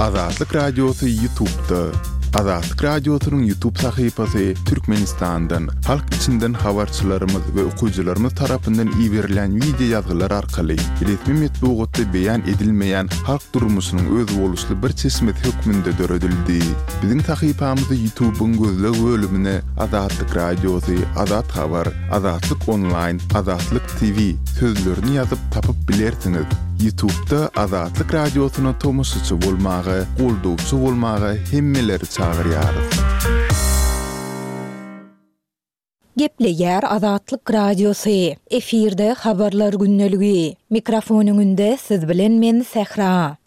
Azatlyk Radiosy Ýutubda. Azatlyk Radiosynyň Ýutub sahypasy Türkmenistandan, halk içinden habarçylarymyz we okyjylarymyz tarapyndan iberilýän wideo ýazgylar arkaly resmi metbugatda beýan edilmeýän halk durmuşynyň özboluşly bir çeşmesi hökmünde döredildi. Biziň sahypamyzy Ýutubyň gözleg bölümine Azatlyk Radiosy, Azat Habar, Azatlyk Onlaýn, Azatlyk TV sözlerini ýazyp tapyp bilersiňiz. Ýutubda Azatlyk Radiosyna tomaşaçy bolmaga, goldawçy bolmaga hemmeleri çagyrýarys. Gepleýär Azatlyk Radiosy, efirde Habarlar gündeligi. Mikrofon öňünde siz bilen men Sähra.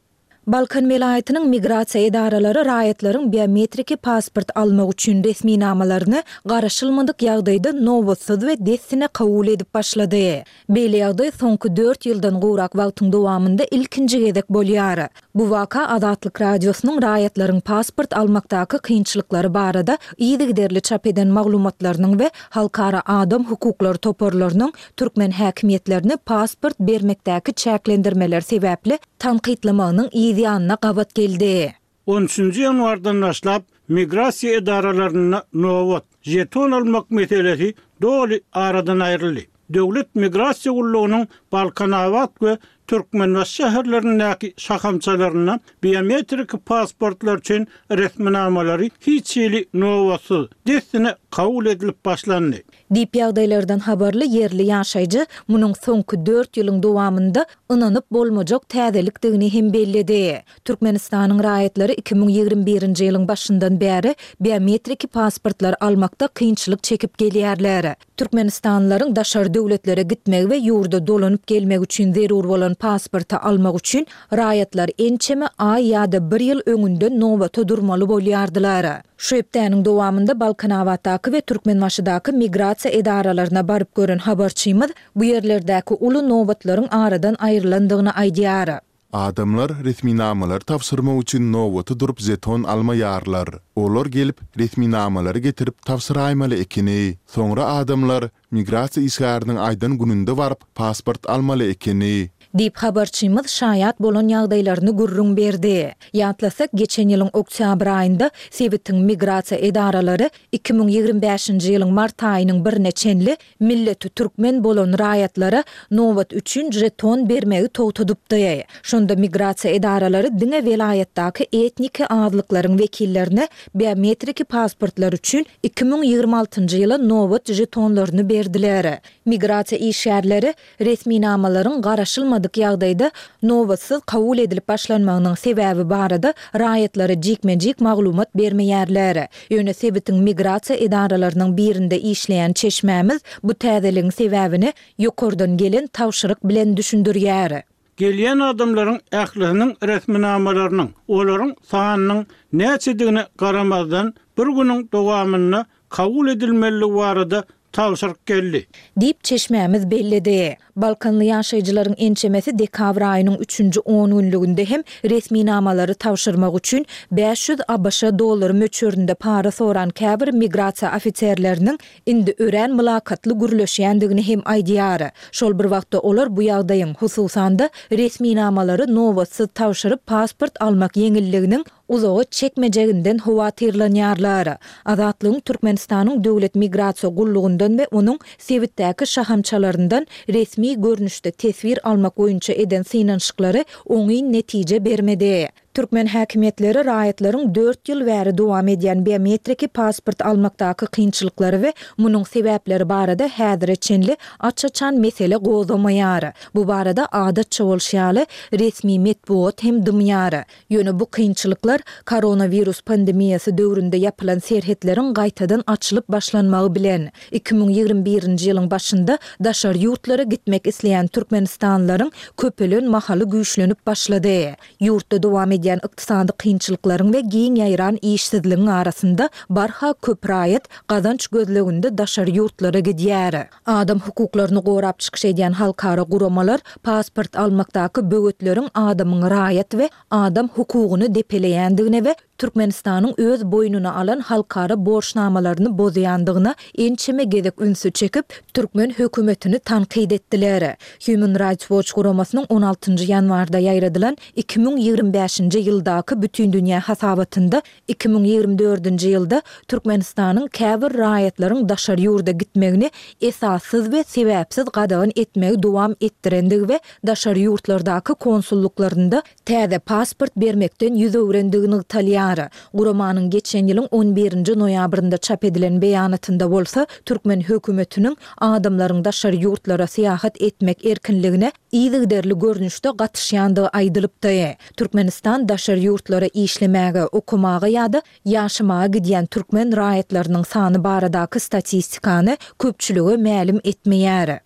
Balkan welaýatynyň migrasiýa edaralary raýatlaryň biometriki pasport almak üçin resminamalaryny garaşylmadyk ýagdaýda nobatsyz we dessine kabul edip başlady. Beýle ýagdaý soňky dört ýyldan gowrak wagtyň dowamynda ilkinji gezek bolýar. Bu waka Azatlyk Radiosynyň raýatlaryň pasport almakdaky kynçylyklary barada yzygiderli çap eden maglumatlarynyň we halkara adam hukuklary toparlarynyň türkmen häkimiýetlerini pasport bermekdäki çäklendirmeler sebäpli tankytlamagynyň yz ýanyna gabat geldi. On üçünji ýanwardan başlap, migrasiýa edaralarynda nobat, žeton almak meselesi doly aradan aýryldy. Döwlet migrasiýa gullugynyň Balkanabat we Türkmenbaşy şäherlerindäki şahamçalarynda biometrik pasportlar üçin resminamalary hiç hili nobatsyz, dessine kabul edilip başlandy. Diýip, ýagdaýlardan habarly ýerli ýaşaýjy munuň soňky dört ýylyň dowamynda ynanyp bolmajak täzelikdigini hem belledi. Türkmenistanyň raýatlary 2021-nji ýylyň başyndan bäri biometriki pasportlar almakda kynçylyk çekip gelýärler. Türkmenistanlylaryň daşary döwletlere gitmegi we ýurda dolanyp gelmegi üçin zerur bolan pasporty almak üçin raýatlar ençeme aý ýa-da bir ýyl öňünden nobata durmaly bolýardylar. Şu hepdäniň dowamynda Balkanabatdaky we Türkmenbaşydaky migrasiýa edaralaryna baryp gören habarçymyz bu ýerlerdäki uly nobatlaryň aradan aýrylandygyny aýdýar. Adamlar resminamalary tabşyrmak üçin nobata durup žeton almaýarlar. Olar gelip, resminamalary getirip tabşyraýmaly ekeni. Soňra adamlar Migrasiýa işgäriniň aýdan gününde baryp, pasport almaly ekeni. Diýip, habarçymyz şaýat bolan ýagdaýlaryny gürrüň berdi. Ýatlasak, geçen ýylyň oktýabr aýynda sebitiň migrasiýa edaralary 2025-nji ýylyň mart aýynyň birine çenli milleti türkmen bolan raýatlara nobat üçin žeton bermegi togtadypdy. Şonda migrasiýa edaralary diňe welaýatdaky etniki azlyklaryň wekillerine biometriki pasportlar üçin 2026-njy ýyla nobat žetonlaryny berdiler. Migrasiýa işgärleri resminamalaryň garaşylmadyk ýagdaýda nobatsyz kabul edilip başlanmagynyň sebäbi barada raýatlara jikme-jik maglumat bermeýärler. Ýöne sebitiň migrasiýa edaralarynyň birinde işleýän çeşmämiz bu täzeligiň sebäbini ýokardan gelen tabşyryk bilen düşündirýär. Gelýän adamlaryň ählisiniň resminamalarynyň, olaryň sanynyň näçedigine garamazdan, bir günüň dowamynda kabul edilmelidigi barada tabşyryk geldi. Diýip, çeşmämiz belledi. Balkanly ýaşaýjylaryň ençemesi dekabr aýynyň üçünji ongünlüginde hem resminamalary tabşyrmak üçin 500 abş dollary möçberinde para soran käbir migrasiýa ofiserleriniň indi örän mylakatly gürleşýändigini hem aýdýar. Şol bir wagtda olar bu ýagdaýyň, hususan-da, resminamalary nobatsyz tabşyryp pasport almak ýeňilliginiň uzaga çekmejeginden howatyrlanýarlar. Azatlygyň Türkmenistanyň Döwlet migrasiýa gullugyndan we onuň sebitdäki şahamçalaryndan resmi görnüşde teswir almak boýunça eden synanyşyklary oňyn netije bermedi. Türkmen häkimiýetleri raýatlaryň dört ýyl bäri dowam edýän biometriki pasport almakdaky kynçylyklary we munuň sebäpleri barada häzire çenli aç-açan mesele gozgamaýar. Bu barada adatça bolşy ýaly, resmi metbugat hem dymýar. Ýöne bu kynçylyklar koronawirus pandemiýasy döwründe ýapylan serhetleriň gaýtadan açylyp başlanmagy bilen, 2021-nji ýylyň başynda daşary ýurtlara gitmek isleýän türkmenistanlylaryň köpelen mahaly güýçlenip başlady. Ýurtda dowam edýän ykdysady kynçylyklaryň we giň ýaýran işsizligiň arasynda barha köp raýat gazanç gözleginde daşary ýurtlara gidýär. Adam hukuklaryny gorap çykyş edýän halkara guramalar pasport almakdaky böwetleriň adamyň raýat we adam hukugyny depeleýändigine we. Türkmenistanyň öz boýnuna alan halkara borçnamalaryny bozýandygyna ençeme gezek ünsi çekip, türkmen hökümetini tankyt etdiler. Human Rights Watch guramasynyň on altynjy ýanwarda ýaýradylan 2025-nji ýyldaky bütindünýä hasabatynda 2024-nji ýylda Türkmenistanyň käbir raýatlaryň daşary ýurda gitmegini esassyz we sebäpsiz gadagan etmegi dowam etdirendigi we daşary ýurtlardaky konsullyklarynda täze pasport bermekden ýüz öwrendigi nygtalýar. Guramanyň geçen ýylyň on birinji noýabrynda çap edilen beýanatynda bolsa, türkmen hökümetiniň adamlaryň daşary ýurtlara syýahat etmek erkinligine yzygiderli görnüşde gatyşýandygy aýdylypdy. Türkmenistan daşary ýurtlara işlemäge, okamaga ýa-da ýaşamaga gidýän türkmen raýatlarynyň sany baradaky statistikany köpçülige mälim etmeýär.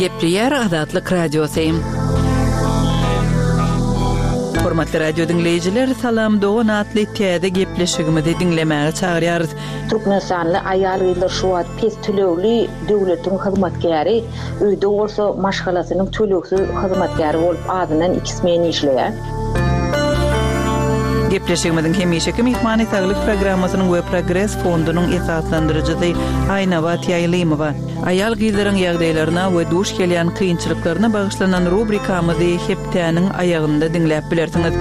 Gepleýär Azatlyk Radiosy. Hormatly radio diňleýjiler, Salam dogan atly täze gepleşigimizi diňlemäge çagyrýarys. Türkmenistanly aýal-gyzlar şu wagt pes tölegli döwletiň hyzmatkäri, öýde bolsa maşgalasynyň tölegsiz hyzmatkäri bolup azyndan iki smen işleýär. Gepleşigimiziň hemişeki myhmany Saglyk programmasynyň we Progres fondunyň esaslandyryjysy Aýnabat Ýaýlymowa. Aýal-gyzlaryň ýagdaýlaryna we duş gelýän kynçylyklaryna bagyşlanan rubrikamyzy hepdäniň aýagynda diňläp bilersiňiz.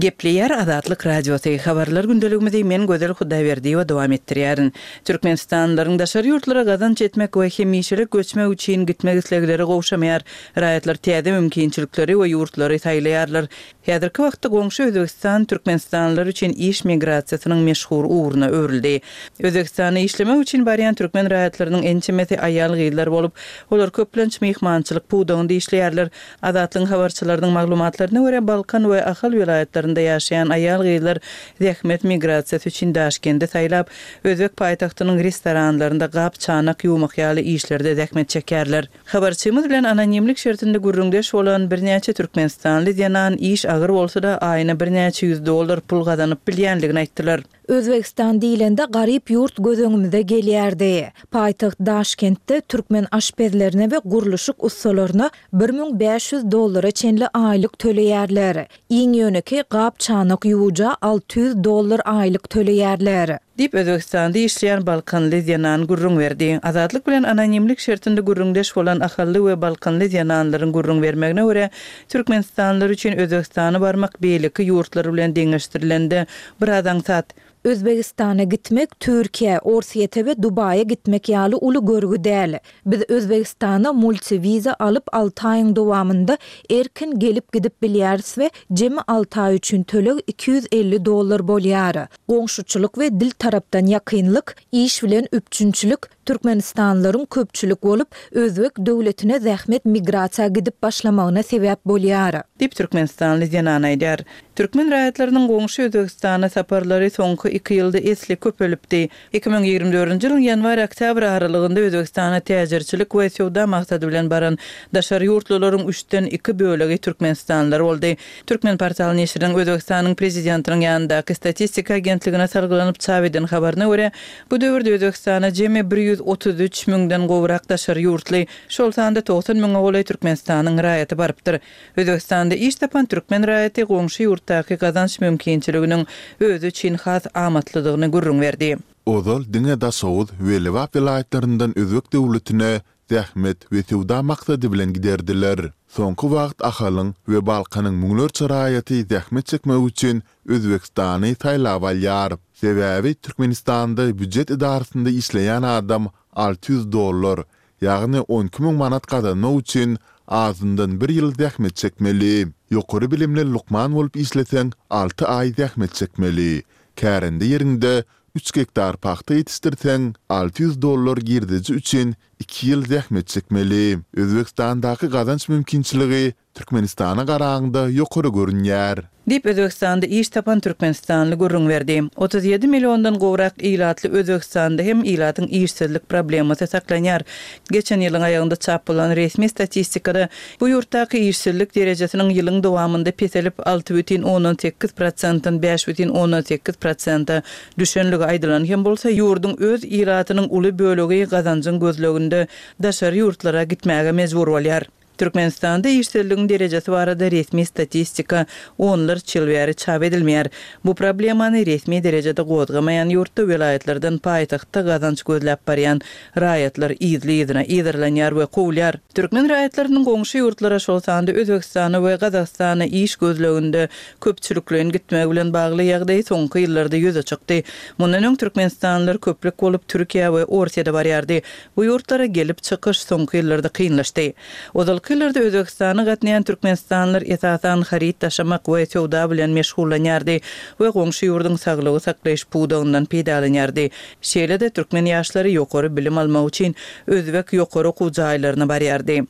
Gepleýär Azatlyk Radiosy, Habarlar gündeligimizi men Gözel Hudaýberdiýewa dowam etdirýärin. Türkmenistanlylaryň daşary ýurtlara gazanç etmek we hemişelik göçmek üçin gitmek islegleri gowşamaýar. Raýatlar täze mümkinçilikleri we ýurtlary saýlaýarlar. Häzirki wagtda goňşy Özbegistan türkmenistanlylar üçin iş migrasiýasynyň meşhur ugruna öwrüldi. Özbegistana işlemek üçin barýan türkmen raýatlarynyň ençemesi aýal-gyzlar bolup, olar köplenç myhmançylyk pudagynda işleýärler. Azatlygyň habarçylarynyň maglumatlaryna görä, Balkan we Ahal welaýatlarynda ýaşaýan aýal-gyzlar zähmet migrasiýasy üçin Daşkendi saýlap, özbek paýtagtynyň restoranlarynda gap-çanak ýuwmak ýaly işlerde zähmet çekýärler. Habarçymyz bilen anonimlik şertinde gürrüňdeş bolan birnäçe türkmenistanly zenan iş agyr bolsa-da, aýyna birnäçe ýüz dollar pul gazanyp bilýändigini aýtdylar. Özbegistan diýlende garyp ýurt göz öňümize gelýärdi. Paýtagt Daşkentde türkmen aşpezlerine we gurluşyk ussalaryna 1500 dollara çenli aýlyk töleýärler. Iň ýönekeý gap-çanak ýuwuja 600 dollar aýlyk töleýärler. Diýip, Özbegistanda işleýän balkanly zenan gürrüň berdi. Azatlyk bilen anonimlik şertinde gürrüňdeş bolan ahally we balkanly zenanlaryň gürrüň bermegine görä, türkmenistanlylar üçin Özbegistana barmak beýleki ýurtlar bilen deňeşdirilende biraz aňsat. Özbegistana gitmek Türkiýä, Orsýete we Dubaýa gitmek ýaly uly görgi däl. Biz Özbegistana multi-wiza alyp alty aýyň dowamynda erkin gelip-gidip bilýäris we jemi alty aý üçin töleg 250 dollar bolýar. Goňşuçylyk we dil tarapdan ýakynlyk, iş bilen üpjünçilik, türkmenistanlylaryň köpçülik bolup, özbek döwletine zähmet migrasiýa gidip başlamagyna sebäp bolýar. Diýip, türkmenistanly zenan aýdýar. Türkmen raýatlarynyň goňşy Özbegistana saparlary soňky iki ýylda esli köpelipdi. 2024-nji ýylyň ýanwar-oktýabr aralygynda Özbegistana täjirçilik we söwda maksady bilen baran daşary ýurtlularyň üçden iki bölegi türkmenistanlylar boldy. Türkmenportal neşiriniň Özbegistanyň Prezidentiniň ýanyndaky statistika agentligine salgylanyp çap eden habaryna görä, bu döwürde Özbegistana jemi 133 müňden gowrak daşary ýurtly, şol sanda 90 müňe golaý Türkmenistanyň raýaty barypdyr. Özbegistanda iş tapan türkmen raýaty goňşy ýurtdaky gazanç mümkinçiliginiň özi üçin has amatlydygyny gürrüň berdi. Ozal diňe Daşoguz we Lebap welaýatlaryndan özbek döwletine zähmet we söwda maksady bilen giderdiler. Soňky wagt Ahalyň we Balkanyň müňlerçe raýaty zähmet çekmek üçin Özbegistany saýlap alýar. Sebäbi Türkmenistanda býujet edarasynda işleýän adam 600 dollar, ýagny 12 müň manat gazanmak üçin azyndan bir ýyl zähmet çekmeli. Ýokary bilimli lukman bolup işleseň alty aý zähmet çekmeli. Kärende ýeriňde üç gektar pagta ýetişdirseň, 600 dollar girdeji üçin iki ýyl zähmet çekmeli. Özbegistandaky gazanç mümkinçiligi Türkmenistana garaňda ýokary görünýär. Diýip, Özbegistanda iş tapan türkmenistanly gürrüň berdi. 37 milliondan gowrak ilatly Özbegistanda hem ilatyň işsizlik problemasy saklanýar. Geçen ýylyň aýagynda çap bolan resmi statistikada bu ýurtdaky işsizlik derejesiniň ýylyň dowamynda peselip, 6,8 prosentden 5,8 prosente düşenligi aýdylan hem bolsa, ýurduň öz ilatynyň uly bölegi gazanjyň gözleginde daşary ýurtlara gitmäge mejbur bolýar. Türkmenistanda işsizligiň derejesi barada resmi statistika onlarça ýyl bäri çap edilmeýär. Bu problemany resmi derejede gozgamaýan ýurtda welaýatlardan paýtagtda gazanç gözläp barýan raýatlar yzly-yzyna yzarlanýar we kowulýar. Türkmen raýatlarynyň goňşy ýurtlara, şol sanda Özbegistana we Gazagystana iş gözleginde köpçülikleýin gitmegi bilen bagly ýagdaý soňky ýyllarda ýüze çykdy. Mundan öň türkmenistanlylar köplük bolup Türkiýä we Orsýete barýardy. Bu ýurtlara gelip çykyş soňky ýyllarda kynlaşdy. Ozalky ýyllarda Özbegistana gatnaýan türkmenistanlylar esasan haryt daşamak we söwda bilen meşgullanýardy we goňşy ýurduň saglygy saklaýyş pudagyndan peýdalanýardy. Şeýle-de türkmen ýaşlary ýokary bilim almak üçin özbek ýokary okuw jaýlaryna barýardy.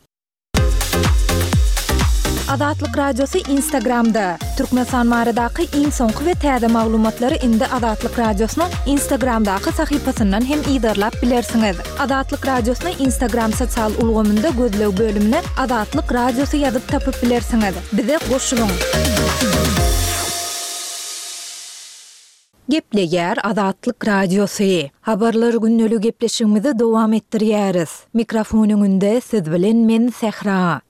Azatlyk Radiosy Instagramda, Türkmenistan baradaky iň soňky we täze maglumatlary indi Azatlyk Radiosynyň Instagramdaky sahypasyndan hem yzarlap bilersiňiz. Azatlyk Radiosyny Instagram sosial ulgamynda gözleg bölümine Azatlyk Radiosy ýazyp tapyp bilersiňiz. Bize goşulyň! Gepleýär Azatlyk Radiosy. Habarlar gündeli gepleşigimizi dowam etdirýäris. Mikrofon öňünde siz bilen men Sähra.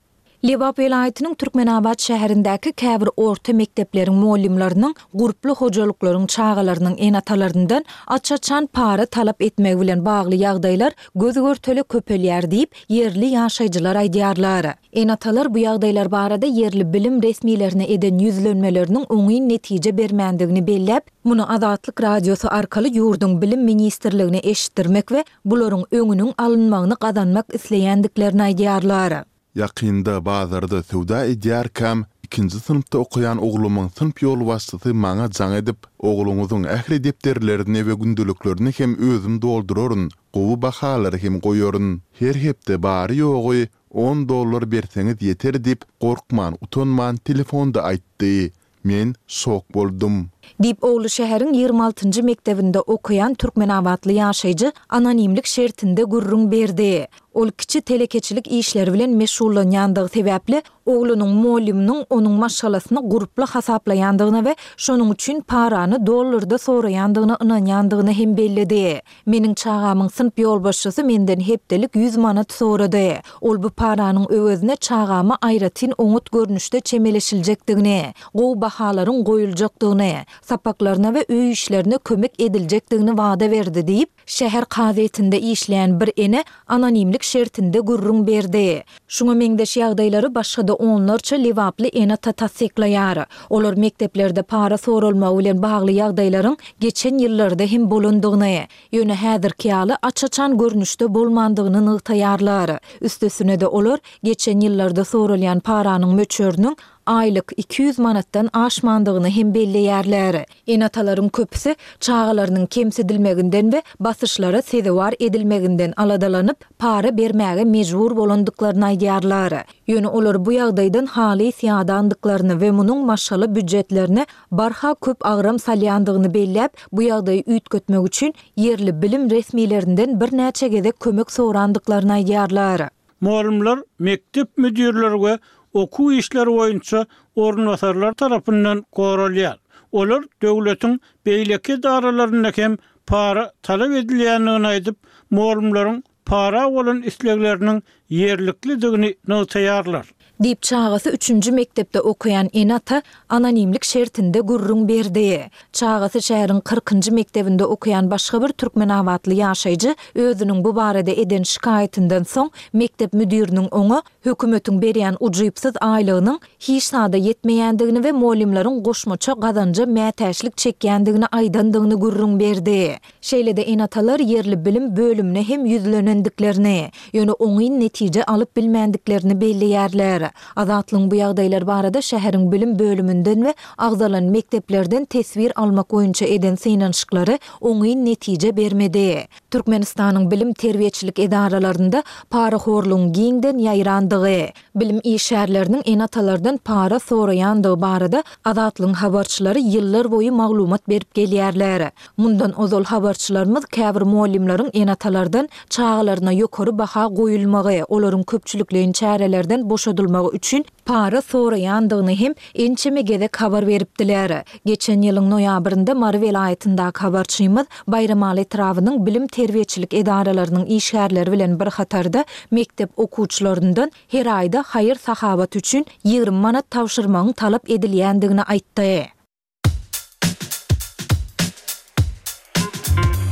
Lebap welaýatynyň Türkmenabat şäherindäki käbir orta mekdepleriň mugallymlarynyň gurply hojalyklaryň çagalarynyň ene-atalaryndan aç-açan para talap etmegi bilen bagly ýagdaýlar göz-görtele köpelýär diýip, ýerli ýaşaýjylar aýdýarlar. Ene-atalar bu ýagdaýlar barada ýerli bilim resmilerine eden ýüzlenmeleriniň oňyn netije bermändigini belläp, muny Azatlyk Radiosy arkaly ýurduň Bilim ministrligine eşitdirmek we bularyň öňüniň alynmagyny gazanmak isleýändiklerini aýdýarlar. Ýakynda bazarda söwda edýärkäm, ikinji synpda okaýan oglumyň synp ýolbaşçysy maňa jaň edip, Ogluňyzyň ähli depderlerini we gündeliklerini hem özüm dolduraryn, gowy bahalary hem goýaryn. Her hepde bary-ýogy On dollar berseňiz ýeter diýip, gorkman, utanman telefonda aýtdy. Men şok boldum. Diýip, ogly şäheriň 26 njy mekdebinde okaýan türkmenabatly ýaşaýjy anonimlik şertinde gürrüň berdi. Ol kiçi telekeçilik işleri bilen meşgullanýandygy sebäpli, oglunyň mugallymynyň onuň maşgalasyny gurply hasaplaýandygyna we şonuň üçin parany dollarda soraýandygyna ynanýandygyny hem belledi. Meniň çagamyň synp ýolbaşçysy menden hepdelik ýüz manat sorady. Ol bu paranyň öwezine çagama aýratyn oňat görnüşde çemeleşiljekdigini, gowy bahalaryň goýuljakdygyny, sapaklaryna we öý işlerine kömek ediljekdigini wada berdi diýip, şäher kazyýetinde işleýän bir ene anonimlik şertinde gürrüň berdi. Şuňa meňzeş ýagdaýlary başga-da onlarça lebaply ene-ata tassyklaýar. Olar mekdeplerde para soralmagy bilen bagly ýagdaýlaryň geçen ýyllarda hem bolandygyny, ýöne häzirki ýaly aç-açan görnüşde bolmandygyny nygtaýarlar. Üstesine-de olar geçen ýyllarda soralýan paranyň möçberiniň aýlyk 200 manatdan aşmandygyny hem belleýärler. Ene-atalaryň köpüsi çagalarynyň kemsidilmeginden we basyşlara sezewar edilmeginden aladalanyp, para bermäge mejbur bolandyklaryny aýdýarlar. Ýöne olar bu ýagdaýdan halys ýadandyklaryny we munuň maşgala býujetlerine barha köp agram salýandygyny belläp, bu ýagdaýy üýtgetmek üçin ýerli bilim resmilerinden birnäçe gezek kömek sorandyklaryny aýdýarlar. Mugallymlar, mekdep müdirleri we okuw işleri boýunça orunbasarlar tarapyndan goralýar. Olar döwletiň beýleki edaralarynda hem para talap edilýändigini aýdyp, mugallymlaryň para bolan islegleriniň ýerliklidigini nygtaýarlar. Diýip, çagasy üçünji mekdepde okaýan ene-ata anonimlik şertinde gürrüň berdi. Çagasy şäheriň kyrkynjy mekdebinde okaýan başga bir türkmenabatly ýaşaýjy özüniň bu barada eden şikaýatyndan soň, mekdep müdiriniň oňa hökümetiň berýän ujypsyz aýlygynyň hiç zada ýetmeýändigini we mugallymlaryň goşmaça gazanja mätäçlik çekýändigini aýdandygyny gürrüň berdi. Şeýle-de ene-atalar ýerli bilim bölümine hem ýüzlenendiklerini, ýöne oňyn netije alyp bilmändiklerini belleýärler. aýdýarlar. Azatlygyň bu ýagdaýlar barada şäheriň bilim bölüminden we agzalan mekdeplerden teswir almak boýunça eden synanyşyklary oňyn netije bermedi. Türkmenistanyň bilim-terbiýeçilik edaralarynda parahorlugyň giňden ýaýrandygy, bilim işgärleriniň ene-atalardan para soraýandygy barada Azatlygyň habarçylary ýyllarboýy maglumat berip gelýärler. Mundan ozal habarçylarymyz käbir mugallymlaryň ene-atalardan çagalaryna ýokary baha goýulmagy, olaryň köpçülikleýin çärelerden boşadylmagy üçin para soraýandygyny hem ençeme gezek habar beripdiler. Geçen ýylyň noýabrynda Mary welaýatyndaky habarçymyz Baýramaly etrabynyň bilim-terbiýeçilik edaralarynyň işgärleri bilen bir hatarda mekdep okuwçylaryndan her aýda haýyr-sahawat üçin 20 manat tabşyrmagyň talap edilýändigini aýtdy.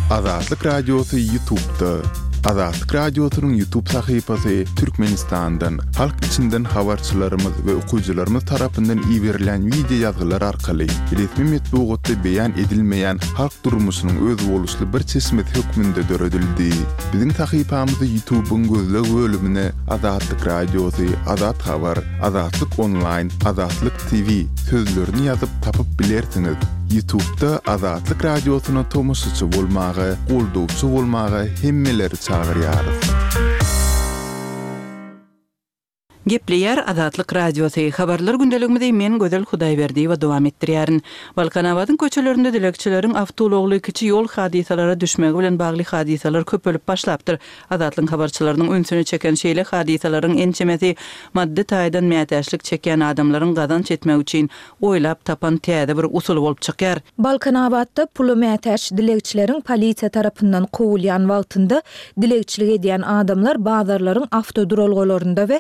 Azatlyk Radiosy Ýutubda. Azatlyk Radiosynyň Ýutub sahypasy Türkmenistandan, halk içinden habarçylarymyz we okyjylarymyz tarapyndan iberilýän wideo ýazgylar arkaly resmi metbugatda beýan edilmeýän halk durmuşynyň özboluşly bir çeşmesi hökmünde döredildi. Biziň sahypamyzy Ýutubyň gözleg bölümine Azatlyk Radiosy, Azat Habar, Azatlyk Onlaýn, Azatlyk TV sözlerini ýazyp tapyp bilersiňiz. Ýutubda Azatlyk Radiosyna tomaşaçy bolmaga, goldawçy bolmaga hemmeleri çagyrýarys. Gepleýär Azatlyk Radiosy, Habarlar gündeligimizi men Gözel Hudaýberdiýewa dowam etdirýärin. Balkanabadyň köçelerinde dilegçileriň awtoulagly kiçi ýol hadysalara düşmegi bilen bagly hadysalar köpelip başlapdyr. Azatlygyň habarçylarynyň ünsüni çeken şeýle hadysalaryň ençemesi maddy taýdan mätäçlik çekýän adamlaryň gazanç etmek üçin oýlap tapan täze bir usuly bolup çykýar. Balkanabatda pula mätäç dilegçileriň polisiýa tarapyndan kowulýan wagtynda dilegçilik edýän adamlar bazarlaryň awtoduralgalarynda we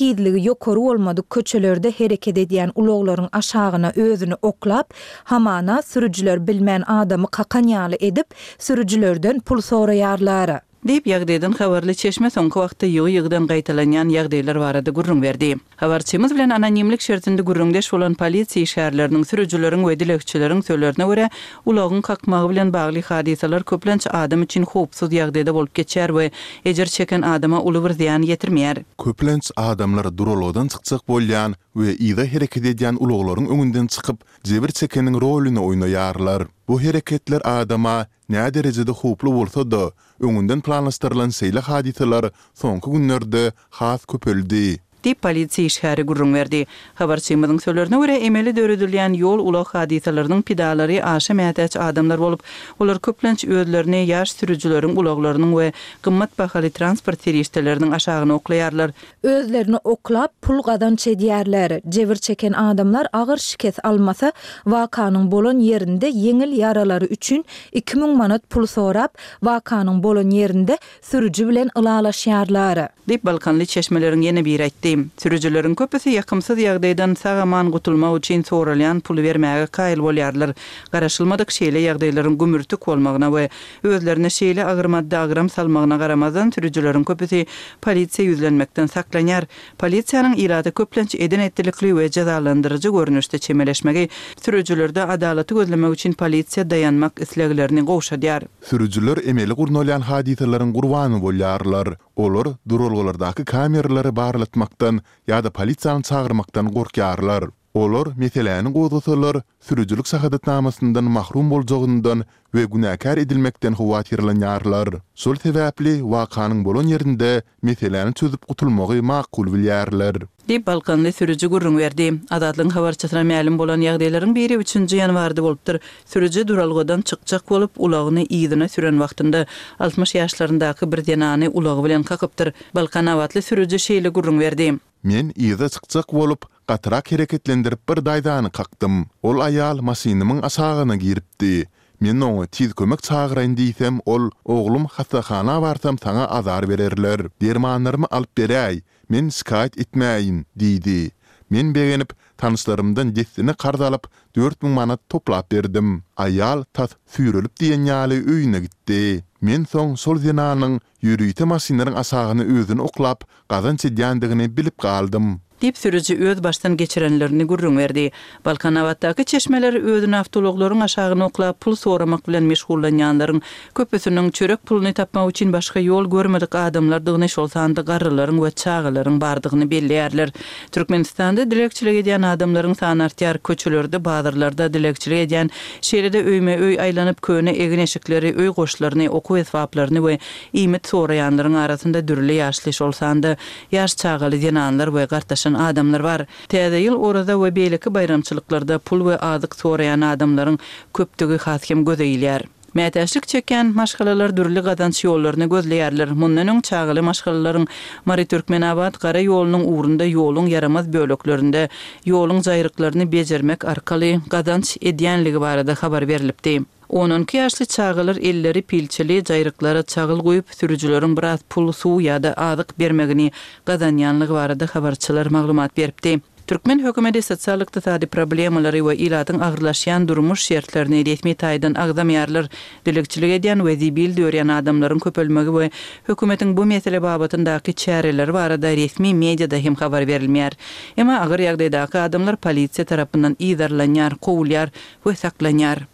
tizligi ýokary bolmadyk köçelerde hereket edýän ulaglaryň aşagyna özüni oklap, hamana sürüjiler bilmän adamy kakan ýaly edip, sürüjilerden pul soraýarlar. Diýip, ýagdaýdan habarly çeşme soňky wagtda ýygy-ýygydan gaýtalanýan ýagdaýlar barada gürrüň berdi. Habarçymyz bilen anonimlik şertinde gürrüňdeş bolan polisiýa işgärleriniň, sürüjileriň we dilegçileriň sözlerine görä, ulagyň kakmagy bilen bagly hadysalar köplenç adam üçin howpsuz ýagdaýda bolup geçýär we ejir çeken adama uly bir zyýan ýetirmeýär. Köplenç adamlar duralgadan çykjak bolýan we yza hereket edýän ulaglaryň öňünden çykyp, jebir çekeniň roluny oýnaýarlar. Bu hereketler adama Näderejede howply bolsa-da, öňünden planlaşdyrylan şeýle hadysalar soňky günlerde has köpeldi. Diýip, polisiýa işgäri gürrüň berdi. Habarçymyzyň sözlerine görä, emeli döredilýän ýol-ulag hadysalarynyň pidalary aşa mätäç adamlar bolup, olar köplenç özlerini ýaş sürüjileriň ulaglarynyň we gymmat bahaly transport serişdeleriniň aşagyna oklaýarlar. Özlerini oklap, pul gazanç edýärler. Jebir çeken adamlar agyr şikes almasa, wakanyň bolan ýerinde ýeňil ýaralary üçin 2000 manat pul sorap, wakanyň bolan ýerinde sürüji bilen ylalaşýarlar. Diýip, balkanly çeşmeleriň ýene biri aýtdy. Sürüjileriň köpüsi ýakymsyz ýagdaýdan sag-aman gutulmak üçin soralýan puly bermäge kaýyl bolýarlar. Garaşylmadyk şeýle ýagdaýlaryň gümürtik bolmagyna we Özlerine şeýle agyr maddy agram salmagyna garamazdan, sürüjileriň köpüsi polisiýa ýüzlenmekden saklanýar. Polisiýanyň ilata köplenç eden-etdilikli we jezalandyryjy görnüşde çemeleşmegi sürüjilerde adalaty gözlemek üçin polisiýa daýanmak isleglerini gowşadýar. Sürüjiler emeli gurnalýan hadysalaryň gurbany bolýarlar. Olar duralgalardaky kameralary barlatmakdan ýa-da polisiýany çagyrmakdan gorkýarlar. Olar meseläni gozgasalar, sürüjilik şahadatnamasyndan mahrum boljagyndan we günäkär edilmekden howatyrlanýarlar. Şol sebäpli wakanyň bolan ýerinde meseläni çözüp gutulmagy makul bilýärler. Diýip, balkanly sürüji gürrüň berdi. Azatlygyň habarçysyna mälim bolan ýagdaýlaryň biri üçünji ýanwarda bolupdyr. Sürüji duralgadan çykjak bolup, ulagyny yzyna süren wagtynda, 60 ýaşlaryndaky bir zenany ulagy bilen kakypdyr. Balkanabatly sürüji şeýle gürrüň berdi. Men yza çykjak bolup, gatyrak hereketlendirip bir daýzany kakdym. Ol aýal maşynymyň aşagyna giripdi. Men oňa tiz kömek çagyraýyn diýsem, ol, Oglum, hassahana barsam saňa azar bererler. Dermanlarymy alyp beräý, men şikaýat etmäýin diýdi. Men begenip, tanyşlarymdan dessine karz alyp, 4000 manat toplap berdim. Aýal tas süýrelip diýen ýaly öýüne gitdi. Men soň şol zenanyň ýörite maşynlaryň aşagyna özüni oklap, gazanç edýändigini bilip galdym. Diýip, sürüji öz başdan geçirenlerini gürrüň berdi. Balkanabatdaky çeşmeler özüni awtoulaglaryň aşagyna oklap, pul soramak bilen meşgullanýanlaryň köpüsiniň çörek puluny tapmak üçin başga ýol görmedik adamlardygyny, şol sanda garrylaryň we çagalaryň bardygyny belleýärler. Türkmenistanda dilegçilik edýän adamlaryň sany artýar. Köçelerde, bazarlarda dilegçilik edýän, şeýle-de öýme-öý aýlanyp, köne egin-eşikleri, öý goşlaryny, okuw esbaplaryny we iýmit soraýanlaryň arasynda dürli ýaşly, şol sanda ýaş çagaly zenanlar we gartaşan adamlar bar. Täze ýyl, Oraza we beýleki baýramçylyklarda pul we azyk soraýan adamlaryň köpdügi has hem göze ilýär. Mätäçlik çekýän maşgalalar dürli gazanç ýollaryny gözleýärler. Mundan öň çagaly maşgalalaryň Mary-Türkmenabat gara ýolunyň ugrunda ýoluň ýaramaz böleklerinde ýoluň jaýryklaryny bejermek arkaly gazanç edýänligi barada habar berlipdi. On-on iki ýaşly çagalar elleri pilçeli, jaýryklara çagyl guýup, sürüjileriň biraz pul, suw ýa-da azyk bermegini gazanýanlygy barada habarçylar maglumat beripdi. Türkmen hökümeti sosial-ykdysady problemalary we ilatyň agyrlaşýan durmuş şertlerini resmi taýdan agzamaýarlar. Dilegçilik edýän we zibil dörýän adamlaryň köpelmegi we hökümetiň bu mesele babatyndaky çäreleri barada resmi mediada hem habar berilmeýär. Emma agyr ýagdaýdaky adamlar polisiýa tarapyndan yzarlanýar, kowulýar we saklanýar.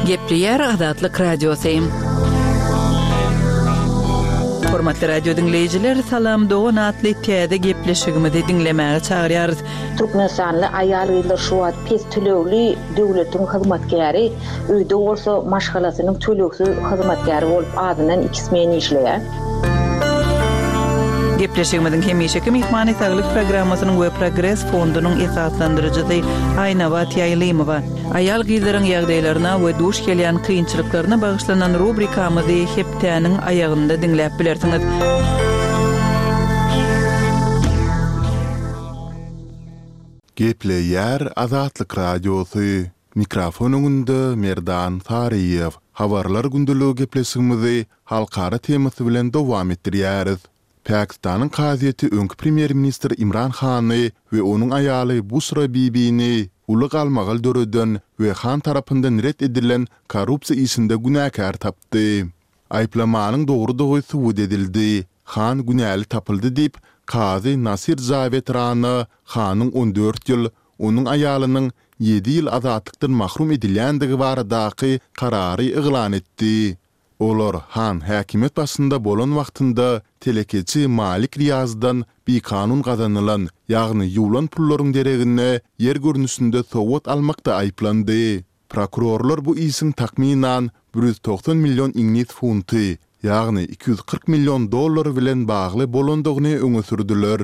Gepleýär Azatlyk Radiosy. Hormatly radio diňleýjiler, Salam dogan atly täze gepleşigimizi diňlemäge çagyrýarys. Türkmenistanly aýal-gyzlar şu wagt pes tölegli döwletiň hyzmatkäri, öýde bolsa maşgalasynyň tölegsiz hyzmatkäri bolup azyndan iki smen işleýär. Gepleşigimiziň hemişeki myhmany Saglyk programmasynyň we Progres fondunyň esaslandyryjysy Aýnabat Ýaýlymowa. Aýal-gyzlaryň ýagdaýlaryna we duş gelýän kynçylyklaryna bagyşlanan rubrikamyzy hepdäniň aýagynda diňläp bilersiňiz. Gepleýär Azatlyk Radiosy, Mikrofon öňünde Merdan Saryýew. Habarlar gündeligi gepleşigimizi halkara temasy bilen dowam etdirýäris. Pakistanyň kazyýeti öňki premýer-ministr Imran Hany we onuň aýaly Buşra Bibini uly galmagal döreden we Han tarapyndan ret edilen korrupsiýa işinde günäkär tapdy. Aýyplamanyň dogrudygy subut edildi. Han günäli tapyldy diýip, kazy Nasir Jawed Rana Hanyň 14 ýyl, onuň aýalynyň ýedi ýyl azatlykdan mahrum edilýändigi baradaky karary yglan etdi. Olar Han häkimiýet başynda bolan wagtynda telekeçi Malik Riýazdan bikanun gazanylan, ýagny ýuwlan pullaryň deregine ýer görnüşinde sowgat almakda aýyplandy. Prokurorlar bu işiň takmynan 190 million iňlis funty, ýagny 240 million dollar bilen bagly bolandygyny öňe sürdüler.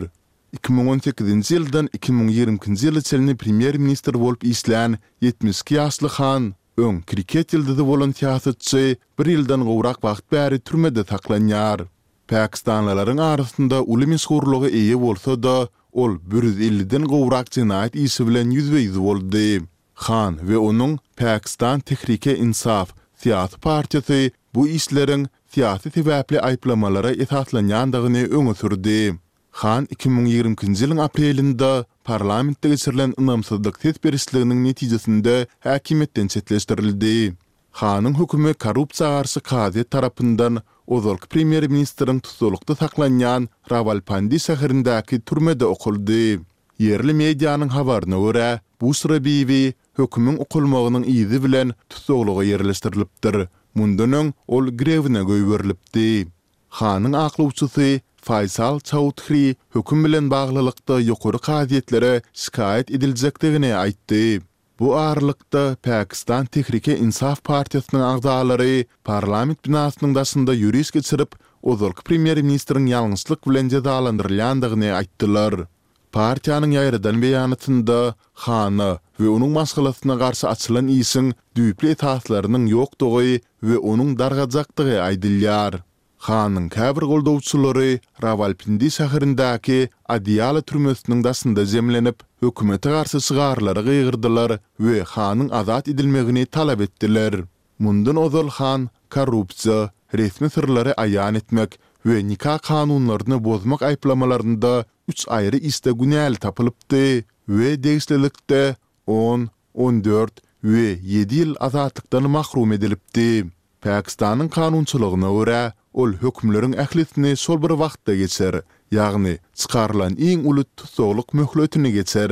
2018-nji ýyldan 2022-nji ýyla çenli premýer-ministr bolup işlän 72 ýaşly Han öň kriket ýyldyzy bolan syýasatçy bir ýyldan gowrak wagt bäri türmede saklanýar. Pakistanlylaryň arasynda uly meşhurlyga eýe bolsa-da, ol bir ýüz elliden gowrak jenaýat işi bilen ýüzbe-ýüz boldy. Han we onuň Pakistan Tehreek-e-Insaf syýasy partiýasy bu işleriň syýasy sebäpli aýyplamalara esaslanýandygyny öňe sürdi. Han 2022-nji ýylyň aprelinde parlamentde geçirilen ynamsyzlyk ses berişliginiň netijesinde häkimiýetden çetleşdirildi. Hanyň hökümi korrupsiýa garşy kazyýet tarapyndan ozalky premýer-ministriň tussaglykda saklanýan Rawalpindi şäherindäki türmede okaldy. Ýerli medianyň habaryna görä, Buşra Bibi hökümiň okalmagynyň yzy bilen tussaglyga ýerleşdirilipdir. Mundan öň ol girewine goýberilipdi. Hanyň aklawçysy Faýsal Çaudhri höküm bilen baglylykda ýokary kazyýetlere şikaýat ediljekdigini aýtdy. Bu aralykda, Pakistan Tehrike-Insaf partiýasynyň agzalary parlament binasynyň daşynda ýöriş geçirip, ozalky premýer-ministriň ýalňyşlyk bilen jezalandyrylýandygyny aýtdylar. Partiýanyň ýaýradan beýanatynda Hana we onuň maşgalasyna garşy açylan işiň düýpli esaslarynyň ýokdugy we onuň dargajakdygy aýdylýar. Hanyň käbir goldawçylary Rawalpindi şäherindäki Adiala türmesiniň daşynda jemlenip, hökümete garşy şygarlara gygyrdylar we Hanyň azat edilmegini talap etdiler. Mundan ozal Han korrupsiýa, resmi syrlary aýan etmek we nika kanunlaryny bozmak aýyplamalarynda üç aýry işde günäli tapylypdy we degişlilikde on, 14 we ýedi ýyl azatlykdan mahrum edilipdi. Pakistanyň kanunçylygyna görä, ol hökümleriň ählisini şol bir wagtda geçer, ýagny çykarylan iň uly tussaglyk möhletini geçer.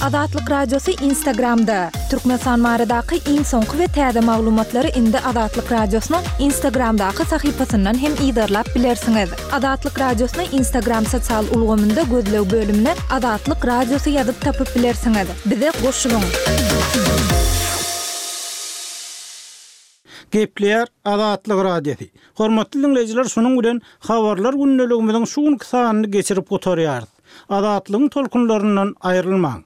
Azatlyk Radiosy Instagramda, Türkmenistan baradaky iň soňky we täze maglumatlary indi Azatlyk Radiosynyň Instagramdaky sahypasyndan hem yzarlap bilersiňiz. Azatlyk Radiosyny Instagram sosial ulgamynda gözleg bölümine Azatlyk Radiosy ýazyp tapyp bilersiňiz. Bize goşulyň! Gepleýär Azatlyk Radiosy. Hormatly diňleýjiler şunuň bilen Habarlar gündeligimiziň şu günki sanyny geçirip gutarýarys. Azatlygyň tolkunlaryndan aýrylmaň!